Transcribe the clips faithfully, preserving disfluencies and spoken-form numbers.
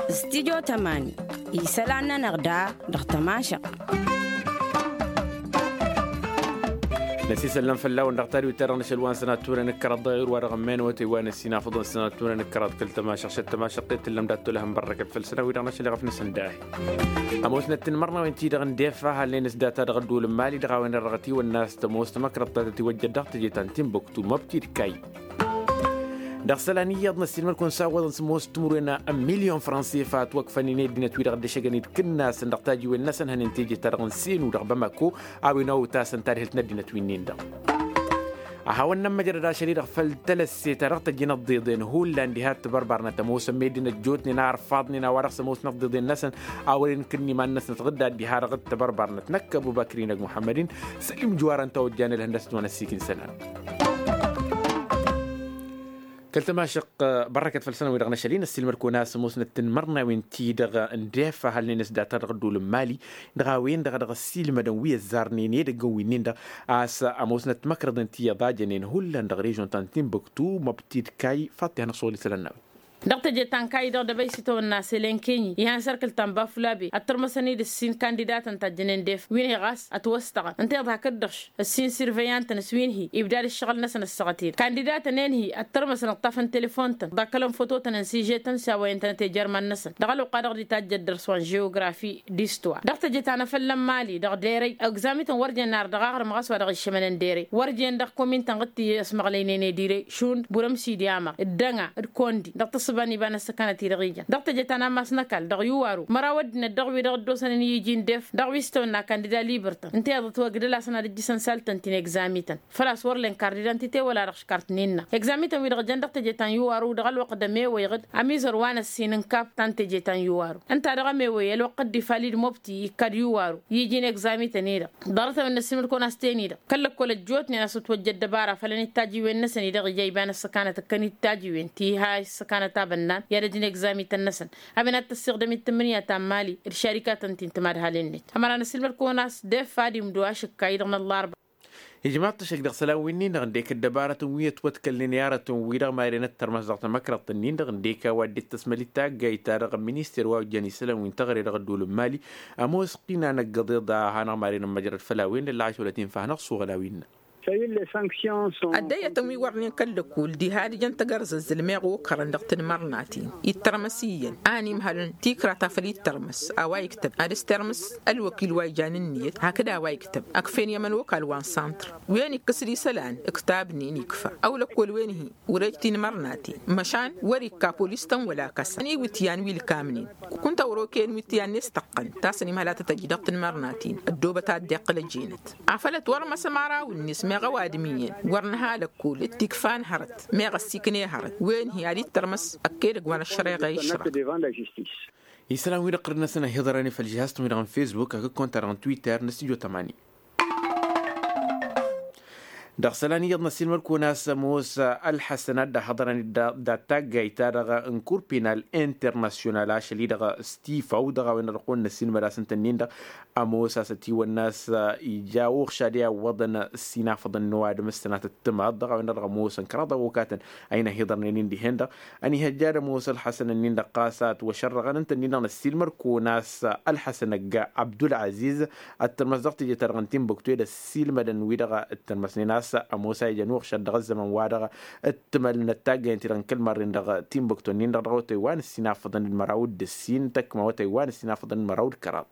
Studio tămani isălan-nănăɣ da dăɣ-tămašăɣt. Năsisăllăm fălla-wăn dăɣ-tadwit-ta-dăɣ n-ašăl wa n-sănatturăn ǝkkăraḍ dăɣ-ewăr wa dăɣ-ămmen awătay wa n-ăssinafăḍăn sănatturăn ǝkkăraḍ kăl-tămašăɣt šăt tămašăɣt i-tǝllăm dat-tolăhăn bărrăkăt făll-sănawi dăɣ-năšăl iɣăf n-asǝnday. Ămoosnăt tinmărnawen-ti-dăɣ n-defa halnen s-data dăɣ-ădduul n-mali dăɣ-a-wen-dăɣ tiwănna a-s tămoos tamăkrăḍt ta tătiwăjjăd dăɣ-teje ta n-tinbuktu măbtid kay. Dăɣ-isălan iyyăḍ n-ăssiilmăd-kăwăn s-a ǝwwăḍăn s-ămoos timǝrwen n-milyon franse fa ătwăkfănen i-ăddinăt-wi-dăɣ dd-ăššăgăn-dd kǝnnasăn dăɣ-tajiwen-năsăn hănen teje-ta-dăɣ n-senu dăɣ-bamako a-wen ăwwăt-asăn tadhǝlt n-ăddinăt wi-nin-dăɣ. A hawăn-nămmăjrăd ašăl-i-dăɣ făll-talăsse ta dăɣ-tăjjăn ăḍḍeḍen hullan diha t-tibărbărnăt ămoosăn meddǝn ăjjootnen a ărfaḍnen a-wa dăɣ-s ămoosnăt ăḍḍeḍen-năsăn a wăren kǝnn' iman-năsnăt ɣǝdda diha dăɣ-tibărbărnăt năkk ăbubăkr-in ăgg muḥămmăd-in. Sălim juwar ǝnta a ojjan ălhăndăs d-wăn ăssiik n-isălan. Kăl-tămašăq bărrăkăt făll-săn-wi-dăɣ n-ašăl-in ăssiilmăd-kăwăn a-s ămoosnăt tinmărnawen-ti-dăɣ n-defa halnen s-data dăɣ-ădduul n-mali dăɣ-a-wen-dăɣ a dăɣ-ăssiilmădăn wi ăzzarnen edăggăn wi-nin-dăɣ a-s ămoosnăt timăkrăḍen ti iyyăḍ a jănen hullan dăɣ-režon ta n-tinbuktu măbtid kay. Faḍt-i hanăɣ-šuɣǝl isălan n-a-wen. Dăɣ-teje ta n-kayy-dăɣ dăbăy s-itawănna sălenkenyi ihăn s-ărkǝl ta n-bafulabe ăttărmăsăn-dd ǝssin kandidatăn ta ăjjănen def wi n-hi ɣas ătwăstăɣăn ǝnta iḍhak dd-ǝšš ǝssin sirveyantăn s-wi n-hi ibdad ǝššăɣǝl-năsăn ăssaɣăt-ed kandidatăn enhi ăttărmăsăn ǝṭṭafăn telefon-tăn ḍakkălăn fototăn n-sižetăn s-a-wa intănăt ejărman-năsăn dăɣ-ălwăqqa-dăɣ dd-itajjăd dăr-s wa n-žeografi d-istuwa dăɣ-teje ta n-afălla n-mali dăɣ-derăy egzamiten wăr jen nar dăɣ-aɣrǝm ɣas wa dăɣ-iššămănen derăy wăr jen dăɣ-komin-tăn ɣǝttǝy ăsmăɣlăynen edire šund burăm s-idiyama d-dăŋa d-kondi dăɣ-tǝssǝba n-iba n-ăssăkanăt-i-dăɣ ijăn dăɣ-teje ta n-ammas n-ăkall dăɣ-iwaru măraw ăddinăt dăɣ-wi-dăɣ dd-osănen i-iji n-def dăɣ-wi s-tawănna kandida librtăn ǝnta i-ad-ătwăgdăl-asăn ad-ǝjjǝsăn saltăn ti n-egzamiten făl-a-s wăr len kardida ǝnta i-tewăla dăɣ-škart-nin-năɣ egzamiten-wi-dăɣ jăn dăɣ-teje ta n-iwaru dăɣ-ălwăqq d-ămewăyăɣ-dd ămizăr wa n-ăssin n-kap ta n-teje ta n-iwaru ǝnta dăɣ-ămewăy ălwăqq dd-ifalid mobti ikkad iwaru i-iji n-egzamiten-i-dăɣ ḍarăt-a-wen n-ăssiilmăd-kăwăn a-s ten-i-dăɣ kăl-lăkkol ăjjootnen a-s ătwăjja ăddăbara fălăn-dd tajiwen-năsăn-i-dăɣ ija iba n-ăssăkanăt ǝkkăn-dd tajiwen ti ha issăkanăt abănnan i-ad-ăj n-egzamiten-năsăn a-wen ad-tăssiɣdăm-dd tǝmmǝnǝya ta n-mali d-šarikatăn ti n-timadhalen-net ămăra n-ăssiilmăd-kăwăn a-s d-effa ad-imdo ašǝkka-i-dăɣ n-ăllarba. Ijmaḍ-t ăššăk dăɣ-isălan wi-nin-dăɣ ǝndek ăddăbarătăn wi ătwătkălnen i-aratăn-wi-dăɣ maren ăttărmăs dăɣ-tamăkrăḍt-nin-dăɣ ǝndek a-wa dd-tăsmăl-dd taggayt-ta-dăɣ n-minister wa ojjăn isălan wi n-teɣăre dăɣ-ădduul n-mali ămoos ɣina n-ăggăḍeḍ a hanăɣ-maren ămmăjrăd făll-a-wen d-ăllaɣ ašolăt infa hanăɣ-suɣǝl a-wen-năɣ. Ăddăyyătăn wi wărnen kăl-lăkkul diha ad-ǝjăn tagărzăzzǝl meɣ okărăn dăɣ-tinmărnaten ittărmăs iyyăn a ănimhălăn tikra ta făl ittărmăs a-wa iktăb ad-ăstermǝs ălwăkil wa ijan ǝnniyăt hakd a-wa iktăb ăkfen i-ămănokal wa n-santr wen ikkǝs-dd isălan ǝktabnen ikfa ăwlăkkol wen-hi wăr-ej tinmărnaten măšan wăr-ikka polis-tăn wăla kăsa ăniwǝtyan wi ǝlkamnen kunta wăr-okăyăn wǝtyan n-estăqqăn ta s-ănimhăl ad-tăt-ăj dăɣ-tinmărnaten ăddoobăt ad-dd-iqqǝl ăjenăt afăl ătwărmăs ămăraw-net meɣ ăwadǝm iyyăn wăr nǝha lăkkol d-tikfa n-hărăt meɣ ăssiikne hărăt wen-hi ad-ittărmăs ăkk edăgg wa n-ăššăreɣa išrăɣ. Isălan-wi-dăɣ ɣur-năsăn ăhiḍărăn i-făll-žihaz-tăn-wi-dăɣ n-fesbuk hakd konta-dăɣ n-twitter n-studio tămani. Dăɣ-isălan iyyăḍ n-ăssiilmăd-kăwăn a-s ămoos ălḥăsăn ad-dd-ăhhăḍărăn d-taggayt-ta-dăɣ n-kurpinal internasyonal ašăl-i-dăɣ stifaw dăɣ-a-wen-dăɣ dăɣ-kăwăn-năssiilmăd a-s ǝnta-nin-dăɣ ămoos a-s ătiwănna a-s ija uɣšad i-awwăḍăn ăssinafăḍăn n-ăwadǝm s-tănatăt timaḍ dăɣ-a-wen-dăɣ dăɣ-ămoosăn kăraḍ awăkatăn a inhăhiḍărnen-in dihen-dăɣ ănihăjja ad-ămoos ălḥăsăn-nin-dăɣ ɣas a ătwăšărrăɣăn ǝnta-nin-dăɣ năssiilmăd-kăwăn a-s ălḥăsăn ăgg abdul-aziz ăttărmăs dăɣ-teje-ta-dăɣ n-tinbuktu ed ăssiilmădăn-wi-dăɣ ǝttărmăsnen a-s ămoos a ijăn uɣšad dăɣ-ăzzăman wa dăɣ-t tǝmălnăt taggayăn-ti-dăɣ n-kăl-marren dăɣ-timbuktu-nin-dăɣ dăɣ-awătay wa n-ǝssin afăḍăn d-măraw d-ǝssin tăkma awătay wa n-ǝssin afăḍăn d-măraw d-kăraḍ.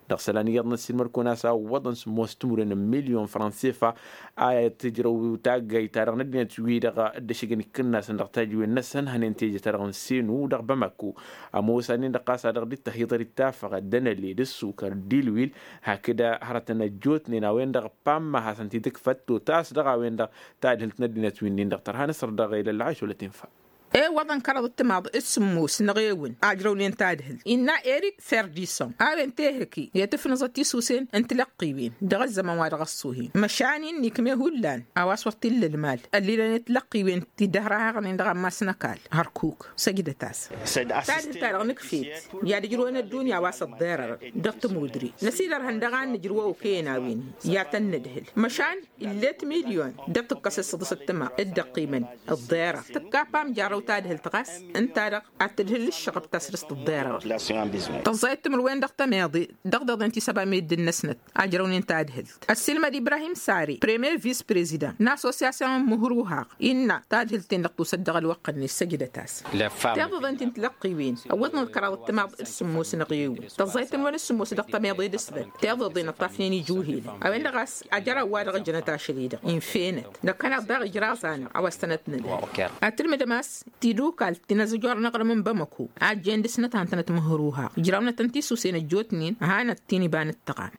Dăɣ-isălan iyyăḍ n-ăssiilmăd-kăwăn a-s a ǝwwăḍăn s-ămoos timǝrwen n-milyon fransefa a tǝjrăw taggayt-ta-dăɣ n-ăddinăt-wi-dăɣ dd-ăššăgăn ikǝnnasăn dăɣ-tajiwen-năsăn hănen teje-ta-dăɣ n-senu dăɣ-bamako. Ămoos a-nin-dăɣ ɣas a dăɣ-dd-tăhiḍăr d-tafăɣăt d-anăle d-ǝssukăr d-ilwil hakd hărătăn ăjjootnen a-wen-dăɣ pamma hasăn-t-dd-ǝkfăt totas dăɣ-a-wen-dăɣ tadhǝlt n-ăddinăt wi-nin-dăɣ tărha nǝsăr dăɣ-elălla a išolăt infa. Ǝwwăḍăn kăraḍ d-timaḍ d-sǝmmos n-eɣewǝn ajrăwnen tadhǝlt innă erik ferdison a-wen tehǝki i-tǝfnǝẓăt tisusen n-tilăqqiwen dăɣ-ăzzăman wa dăɣ-ăṣṣuhen măšan-in n-ikme hullan a-wa s-wăr t-illa ălmal ăllilăn i-tilăqqiwen ti dd-ăhrahăɣnen dăɣ-ammas n-ăkall hărkuk. Săjdăt-as. Tadhǝlt-ta-dăɣ nǝkf'-et i-ad-ǝjrǝwăn ăddunya a-wa s-ăḍḍerăr dăɣ-tămudre năsidărhăn dăɣ-ad-nǝjrǝw ăwkăyăn a-wen i-ad-tăn-nǝdhǝl măšan ill'-et milyon d-tǝkkăs s-săḍǝs ăttăma dd-ăqqimăn ăḍḍerăr tǝkkapam jarrăw tadhǝlt ɣas ǝnta-dăɣ ad-tǝdhǝl ǝššăɣăb ta săr-s tǝḍḍerăr. Tăẓẓayăt timǝrwen dăɣ-tămeḍe dăɣ-deḍen ti s-ăba meddǝn-năsnăt ajrăwnen tadhǝlt ăssiilmăd ibrahim sare premier vis-prezidant n-assosyasyon n-imǝhruhaɣ innă tadhǝlt-ten-dăɣ tusăt dăɣ-ălwăqq-net săjdăt-as. Tiḍeḍen ti n-tilăqqiwen ăwwăḍnăt kăraḍ d-timaḍ d-sǝmmos n-eɣewǝn tăẓẓayăt timǝrwen d-sǝmmos dăɣ-tămeḍe d-ǝsdăt tiḍeḍen ăṭṭafnen ijuhilăn a-wen-dăɣ a-s ajăraw wa dăɣ-ǝjnăt ašăl-i-dăɣ infenăt năkkăneḍ daɣ ijraẓ-anăɣ a-wa s-tănăt-nǝdhǝl. Ad-tǝlmǝdăm a-s tidukalt ti n-azǝjor n-aɣrǝm n-bamăko a ăjjeen dăɣ-snăt a hăn-tănăt măhruha ǝjrawnătăn tisusen ăjjootnen hanăt-t-in iba n-ǝttăɣam.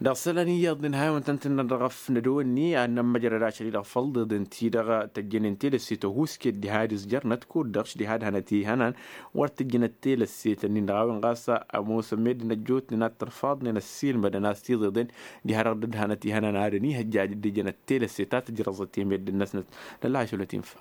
Dăɣ-isălan iyyăḍ n-ha i-wăn tăn-tǝnnăr dăɣ-ăfnădăwănni ad-nămmăjrăd ašăl-i-dăɣ făll-iḍeḍen-ti-dăɣ tăjjănen telăsse tăhuusket diha d-izjărnăt kud-dăɣ š-diha d-hanăt-ihănan wăr tǝjjănăt telăsse tănnin-dăɣ a-wen ɣas ămoosăn meddǝn ăjjootnen ad-tărfaḍnen ăssiilmădăn a-s tiḍeḍen diha-dăɣ dd-hanăt ihănan ad-ănihăjjaj dd-ǝjănăt telăsse ta tǝjrăẓăt i-meddǝn-năsnăt. Nălla ašăl wa t-infa.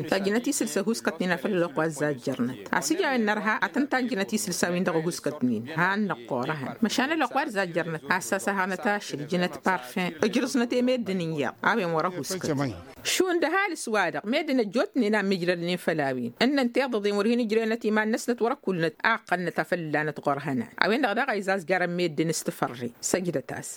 Tajjǝnăt isǝlsa ăhuuskătnen a făl ălwăqq wa ăzzajjărnăt a-s ǝja a-wen nărha ad-tăn-tajjǝnăt isǝlsa-win-dăɣ ăhuuskătnen han-năqqorăhăn măšan ălwăqq wa d-ăzzajjărnăt a-s asăhăɣnăt ašăl ǝjǝnăt parfen ǝjrǝẓnăt i-meddǝn n-iyyăḍ a-wen wăr-ăhuuskăt. Šund ăhalǝs-wa-dăɣ meddǝn ăjjootnen a ǝmmijrădnen făll-a-wen ǝnnăn tiḍăḍen wăr hin-ǝjrăynăt iman-năsnăt wăr-ăkkulnăt a ǝqqălnăt a făl ǝllanăt ɣur-hănan a-wen-dăɣ daɣ a izazgarăn meddǝn s-tǝfărre. Săjdăt-as.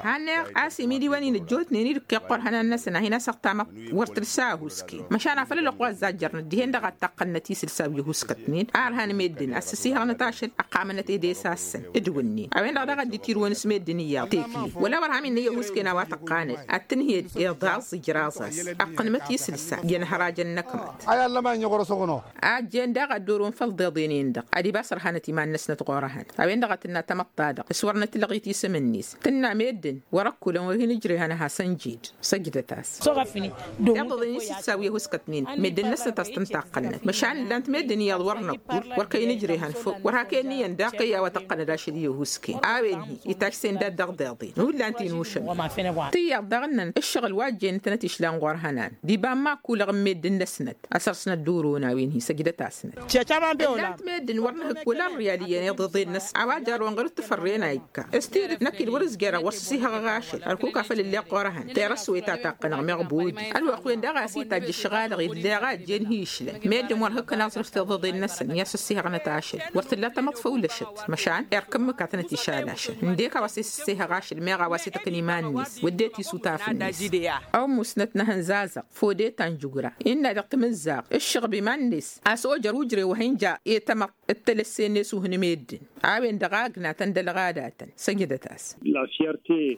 Hanăɣ-as imidiwăn-in ăjjootnen-i d-ǝkkeɣ ɣur-hănan-năsăn a hin-asăɣ tamăḍt wăr tǝlsa ăhuusken măšan afăl ălwăqq wa ăzzajjărnăt dihen-dăɣ ad-taqqălnăt isǝlsa wi ăhuuskătnen a ărhan meddǝn a s-ăsihăɣnăt ašăl ăqqamănăt edesasăn d-wǝnnin a-wen-dăɣ daɣ dd-itirǝwăn s-meddǝn iyyăḍ tekle wăla wăr ham innă i-ăhuusken a-wa tăqqanăd ad-tǝnhǝyăd iḍaẓ ijraẓ-as ăqqănmăt isǝlsa i-ănhărajăn n-ăkmăḍ. Ajjen daɣ ad-dd-orun făll-iḍeḍen-en-dăɣ ad-ibas ărhanăt iman-năsnăt ɣur-ehăn a-wen-dăɣ a tǝnna tamăḍt-ta-dăɣ s-wăr nǝtlăɣit isǝm-net tǝnna meddǝn wăr-ăkkulăn wăr hin-ǝjrehăn ad-hasăn-jed. Săjdăt-as. Tiḍăḍen isǝssa wi ăhuuskătnen meddǝn-năsnăt a-s tăn-taqqălnăt măšan ǝllan-t meddǝn iyyăḍ wăr năkkul wăr kăy-nǝjrehăn făw wăr hak'-en iyyăn daɣ kăy-a-wa tăqqănăd ašăl i-ăhuusken a-wen hi-itajsen dat-dăɣ deḍen hullan ti n-ušămmi. Tiyyăḍ daɣ ǝnnăn ǝššăɣǝl wa ăjjeen ǝntănăt išlan ɣur-hănan d-iba n-imakulăɣ n-meddǝn-năsnăt a săr-snăt d-oron a-wen hi-săjdăt-asnăt. Ǝllan-t meddǝn wăr nǝhǝkk wăla ărriyal iyyăn iḍeḍen-năsăn a-wa jarrăwăn ɣur-dd tǝfărren a ikka s-tidǝt năkk-dd wăr-ǝzjăreɣ wăr s-ăsihăɣăɣ ašăl ărkuk a făl ǝlleɣ ɣur-ehăn terăswet a taqqănăɣ meɣ bodi ălwăqq-wen daɣ a-s itajj ǝššăɣalăɣ ill'-e a ăjjeen hi-išlăn meddǝn wăr hǝkkăn aẓrǝf tiḍeḍen-năsăn i-ad-săssihăɣnăt ašăl wăr tǝlla tamăḍt făw lăšăt măšan erk ǝmmǝk a tănăt-išal ašăl ǝndek a-wa s-e-s ǝssihăɣ ašăl meɣ a-wa s-e-tăkn iman-net wădden tisutafăn-net. Ămmusnăt n-ehăn zazăɣ fodeta n-jugǝra innă dăɣ-tamǝzzaɣt ǝššăɣb iman-net a-s ojăr ujre wa hin-ja i-tamăḍt d-telăsse-net uhǝn meddǝn a-wen-dăɣ a ǝgnatăn d-ălɣadatăn. Săjdăt-as.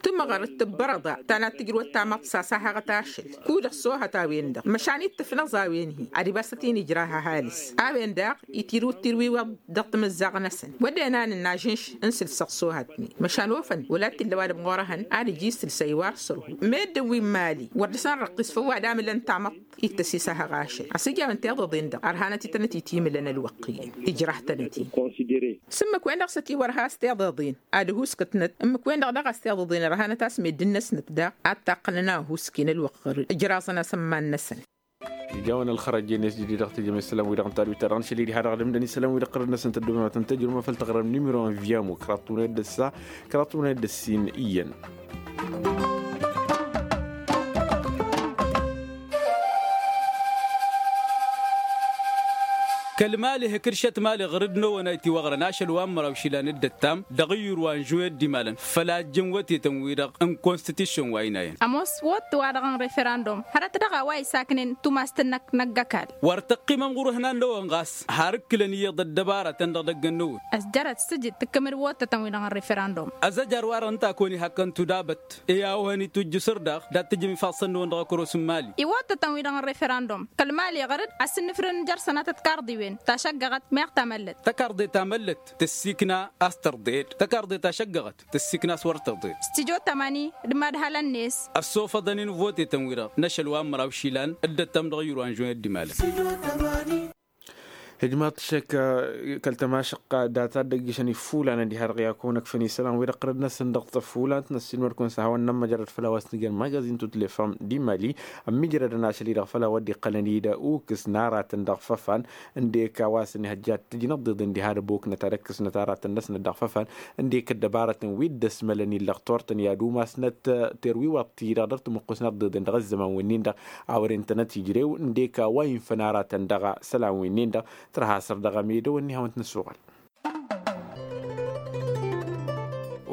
Tǝmɣăr d-tǝbbărăḍa ta n-ad-tǝjrǝwăt tamăḍt s-asahăɣăt ašăl kud-ăṣṣoohăt a-wen-dăɣ măšan ittǝfnăẓ a-wen-hi ad-ibas tăt-in-ijrah ăhalǝs a-wen daɣ itirǝw d-tirwiwăḍ dăɣ-tamǝzzaɣt-năsăn wădden a nǝnna ažǝnš n-sǝlsăɣ s-ohatnen măšan ofăn wăla t-illa ăwadǝm ɣur-ehăn ad-ǝjǝy isǝlsa iwar sărhu meddǝn wi n-imali wăr dăr-săn răqqis făw ad-amǝlăn tamăḍt ittăs isăhăɣ ašăl a-s ija a-wen tiḍăḍen-dăɣ ărhanăt-i tănăt-itimǝlăn ălwăqq iyyăn ijrah-tănăt-in. S-ǝmmǝk-wen-dăɣ s-ătiwărha a-s tiḍăḍen ad-ăhuuskătnăt ǝmmǝk-wen-dăɣ daɣ a-s tiḍăḍen ărhanăt a-s meddǝn-năsnăt daɣ ad-taqqălăn a ăhuusken ălwăqq ɣur-dd ǝjraẓăn-as ămman-năsăn. Ija-wăn ălxărăj-en s-jădid dăɣ-tejăm isălan-wi-dăɣ n-tadwit-ta-dăɣ n-ašăl-i diha-dăɣ d-ǝmdăn isălan-wi-dăɣ ɣărăd-năsăn tăddobem ad-tăn-tăjrǝwăm afăl taɣrăm nimiro n-viyamo kăraḍ tunăyăt d-ăssa kăraḍ tunăyăt d-ăssin iyyăn. Kăl-mali hǝkǝršăt mali ɣǝrǝd n-ewăn a itiwăɣrăn ašăl wa n-măraw išilan d-ăttam dăɣ-iyyur wa n-žuwet d-imalăn făl a ǝjjǝn wătetăn-wi-dăɣ n-konstitišăn wa ina iyyăn. Ămoos wătte-wa-dăɣ n-referandum hărăt daɣ a-wa isaknen tumast-năk n-ăgg-ăkall. Wăr tăqqimăm ɣur-ihnan-năwăn ɣas har ǝkkǝlăn iyyăḍ ăddăbaratăn dăɣ-idăgg-ănnăwăn. Ăzjărăt s-tǝjǝd tǝkkămăd wătetăn-wi-dăɣ n-referandum. Ăzăjar-wa-dăɣ ǝnta a kăwăn-ihakkăn tudabăt i-a-wa hăn-itujjǝsăr daɣ dat-tǝjǝm ifaḍsăn-năwăn dăɣ-ăkăros n-imali. I-wătetăn-wi-dăɣ n-referandum kăl-mali ɣăr-dd a-s ǝnnǝfrǝn n-jer-sănatăt karḍiwen. Tašăggăɣăt meɣ tamăllăt. Tăkarḍe tamăllăt tăssikna a-s tărḍed tăkarḍe tašăggăɣăt tăssikna a-s wăr tărḍed. Stijo tămani d-madhălăn-net. Ăssofăḍăn-in votetăn-wi-dăɣ n-ašăl wa n-măraw išilan dd-ăttăm dăɣ-yuru anžoyăt d-imalăn. Hijmaḍ šek kăl-tămašăqqa data dd-ăggišăn iffulanăn diha-dăɣ i-ad-kăwăn ăkfăn isălan-wi-dăɣ ɣărăd-năsăn dăɣ-tăffulant n-ăssiilmăd-kăwăn s-ad-hawăn n-ămmăjrăd făll-a-wa s-nǝjăn magazin tutlefa d-imali. Ămmiijrădăn ašăl-i-dăɣ făll-a-wa dd-iqqălăn-dd ukǝs n-aratăn dăɣ-făfan ǝndek a-wa s-ănihăjja ad-t-ǝjnăt ḍeḍen diha d-ăboknăt ad-ăkkăsnăt aratăn-năsnăt dăɣ-făfan ǝndek ăddăbarătăn wi dd-ăsmălăn illăɣ turtăn i-ad-umasnăt. Terwiwăḍ-t-i-dăɣ dăr-tămuqqusnăt ḍeḍen dăɣ-ăzzăman wi-nin-dăɣ a wăren-tănăt ijrew ǝndek a-wa infăn aratăn dăɣ-isălan wi-nin-dăɣ. Tărha săr dăɣ-amedăw ănni hawăn-t-năssuɣăl.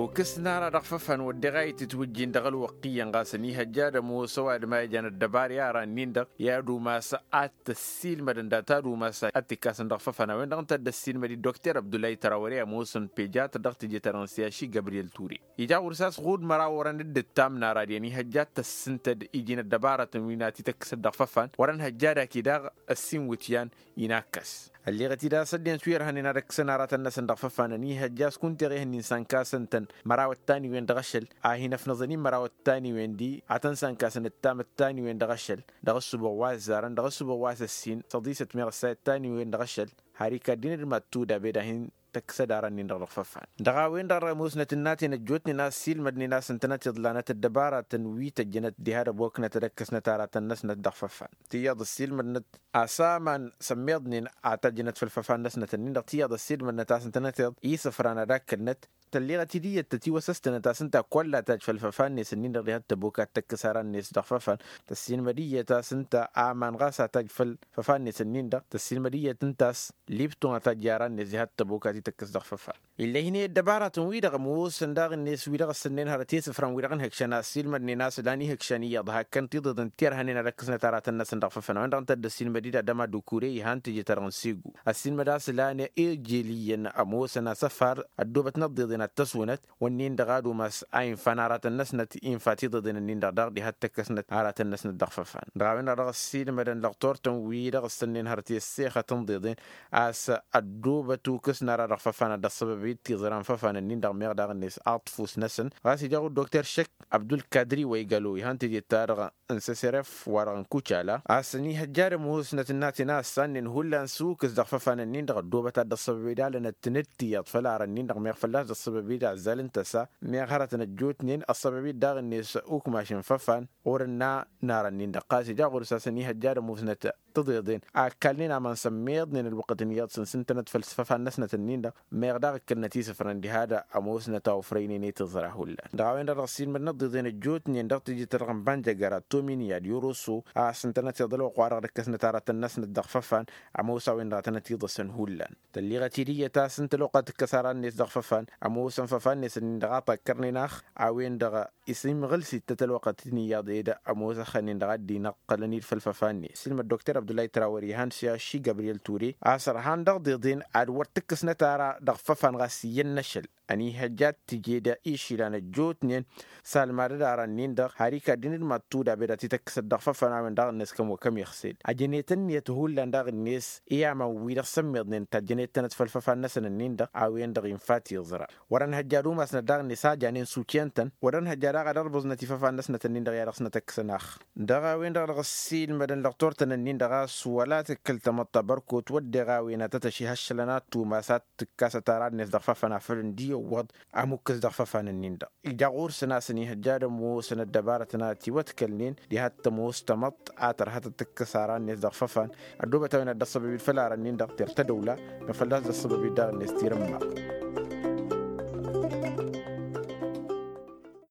Ukǝs n-ara dăɣ-făfan wădden a itǝtwǝjjin dăɣ-ălwăqq iyyăn ɣas ănihăjja ad-ămoos ăwadǝm a ijan ăddăbar i-aran-nin-dăɣ i-ad-umas ad-t-ăssiilmădăn data ad-umas ad-t-ikkasăn dăɣ-făfan a-wen-dăɣ ǝnta a dd-ăssiilmăd-dd dokter abdullah i-tărawăre ămoosăn pejat dăɣ-tǝjjăt-ta-dăɣ n-siyaši gabriyel ture. Ija ɣur-s a-s ɣud măraw orăn dd-ǝttam n-ara ad-i ănihăjja ad-t-ăssǝntăd iji n-ăddăbarătăn wi n-ad-t-ităkkǝsăd dăɣ-făfan wăr-ănhăjja ad-ak-i daɣ ăssin wǝtyan. Inakkăs ălleɣăt-dd a-s ăddinăt wi ărhănen ad-ăkkǝsăn aratăn-năsăn dăɣ-făfan ănihăjja a-s kunta eɣe ihănnin sankasăn-tăn măraw ăttaniwen dăɣ-ašăl a hin-ăfnăẓăn-in măraw ăttaniwen di ad-tăn-sankasăn ǝttam ăttaniwen dăɣ-ašăl dăɣ-ǝssǝbuɣ wa ăzzarăn dăɣ-ǝssǝbuɣ wa s-ăssin săḍisăt meɣ ăssay ăttaniwen dăɣ-ašăl. Har ikaddinăd mad-tuda bed a hin-tăkkǝsăd aran-nin-dăɣ dăɣ-făfan dăɣ-a-wen-dăɣ ămoosnăt ǝnnaten ăjjootnen a ăssiilmădnen a-s ǝntănăt iḍlanăt ăddăbarătăn wi tăjjănăt diha d-ăboknăt ad-ăkkăsnăt aratăn-năsnăt dăɣ-făfan. Tiyyăḍ ăssiilmădnăt a-s aman sămmeḍnen a tăjjănăt făll-făfan-năsnăt-nin-dăɣ tiyyăḍ ăssiilmădnăt a-s ǝntănăt iḍ isǝfran ad-akkălnăt. Tălleɣăt-dd iyyăt tătiwăsăstănăt a-s ǝnta kull a tajj făll-făfan-net-nin-dăɣ diha d-tăbok ad-tăkkǝs aran-net dăɣ-făfan. Tăssiilmăd iyyăt a-s ǝnta aman ɣas a tajj făll-făfan-net-nin-dăɣ tăssiilmăd iyyăt ǝnta a-s lipton a tajj i-aran-net diha d-tăbok ad-t-tăkkǝs dăɣ-făfan. Ill'-e hin-e ăddăbarătăn-wi-dăɣ ămoosăn daɣ-net wi-dăɣ ǝssǝnnen hărăt i-isǝfran wi-dăɣ n-ihǝkšăn a ăssiilmădnen a-s ǝlan ihǝkšăn iyyăḍ hakkăn tiḍeḍen ti ărhănen ad-ăkkǝsnăt aratăn-năsăn dăɣ-făfăn a-wen-dăɣ ǝnta a dd-ăssiilmăd-dd adăma d-ukure ihan tǝjǝt-ta-dăɣ n-segu. Ăssiilmăd a-s ǝlan ijel iyyăn ămoosăn asăfar ăddoobătnăt ḍeḍen ad-tăswǝnăt wănnin-dăɣ ad-umas a infan aratăn-năsnăt infa tiḍeḍen-nin-dăɣ daɣ diha d-tăkkăsnăt aratăn-năsnăt dăɣ-făfăn. Dăɣ-a-wen-dăɣ dăɣ-ăssiilmădăn lăɣ turtăn wi-dăɣ ǝssănnen hărăt i-ăssexăt n-ḍeḍen a-s ăddoobăt ukǝs n-ara dăɣ-făfan ad-dd-ăṣṣăbăbăy d-tiẓra n-făfan-nin-dăɣ meɣ daɣ-net aḍfus-năsăn. Ɣas ija ɣur-dokter šăkk abdulkadri wa igalo ihan teje-t-ta-dăɣ n-săseref wa-dăɣ n-kucala a-s ănihăjja ad-ămoosnăt ǝnnaten a ăssannen hullan s-ukǝs dăɣ-făfan-nin-dăɣ ăddoobăt ad-dd-ăṣṣăbăbăy d-alănăt tǝnǝttiyăḍ făll-arăn-nin-dăɣ meɣ fălla-s dd-ăṣṣăbăbăy d-azzal n-tăsa meɣ hărătăn ăjjootnen ăṣṣăbăbăy d-daɣ-net ukmaš n-făfan. Ɣur-ǝnna n-arăn-nin-dăɣ ɣas ija ɣur-s a-s ănihăjja ad-ămoosnăt tǝḍeḍen a ăkkalnen aman sămmeḍnen ălwăqqăt n-iyyăḍ s-ǝntănăt făll-isfăfan-năsnăt-nin-dăɣ. Meɣ daɣ ǝkkălnăt isǝfrăn diha d-ămoosnăt a ofrăynen i-tiẓra hullan dăɣ-a-wen-dăɣ dăɣ-s ilmădnăt ḍeḍen ăjjootnen dăɣ-tijǝt-ta-dăɣ n-banjăgăra tomin i-ad-irusu a-s ǝntănăt iḍăl wa ɣur-dăɣ d-ǝkkăsnăt aratăn-năsnăt dăɣ-făfan. Ămoos a-wen-dăɣ a tănăt-iḍăsăn hullan tălliɣăt-dd iyyăt a-s ǝnta ălwăqq a tǝkkăs aran-net dăɣ-făfan ămoosăn făfan-net-nin-dăɣ a takkărnen ax. A-wen-dăɣ isǝmɣǝl s-ittăt ălwăqq a t-in-iyyăḍ ed ămoos ăxxănen-dăɣ a dd-inăqqălăn-dd făll-făfan-net s-ilmăd dokter abdullah i-trawăr ihan s-i-ašši gabriyel ture a-s ărhan dăɣ-deḍen ad-wăr t-ǝkkǝsnăt ara dăɣ-făfan ɣas iyyăn n-ašăl. Ănihăjja ad-t-tǝjed išilan ăjjootnen salmad d-aran-nin-dăɣ har ikaddin d-mad-tuda bed ad-t-tăkkǝsăt dăɣ-făfan a-wen daɣ-net kăm wa kăm iɣsel ăjănet ǝnniyăt hullan daɣ-net i-aman-wi-dăɣ sămmeḍnen tajjănet-tănăt făll-făfan-năsăn-nin-dăɣ. A-wen-dăɣ infa tiẓra wăr-ănhăjja ad-umasnăt daɣ-net a janen s-ukyăn-tăn wăr-ănhăjja daɣ ad-ărbuẓnăt ifăfan-năsnăt-nin-dăɣ i-ad-dăɣ-snăt ăkkăsăn ax. Dăɣ-a-wen-dăɣ dăɣ-ăssiilmădăn dăɣ-turtăn-nin-dăɣ a-s wăla tǝkkǝl tamăḍt tabărkot wădden a-wen ad-tăt-ăšihăššălăn ad-tumas ad-tǝkkasăt ara-net dăɣ-făfăn afăl ǝndi iwwăḍ. Ămukkǝs dăɣ-făfăn-nin-dăɣ ija ɣur-săn a-s ănihăjja ad-ămoosăn ăddăbarătăn ad-tiwătkălnen diha t-ămoos tamăḍt a tărha tăt-tǝkkǝs ara-net dăɣ-făfăn. Ăddoobăt a-wen ad-dd-ăṣṣăbăb-dd făll-arăn-nin-dăɣ tir tădăwla. Mefălla a-s dd-ăṣṣăbăb-dd daɣ-net tirǝmma.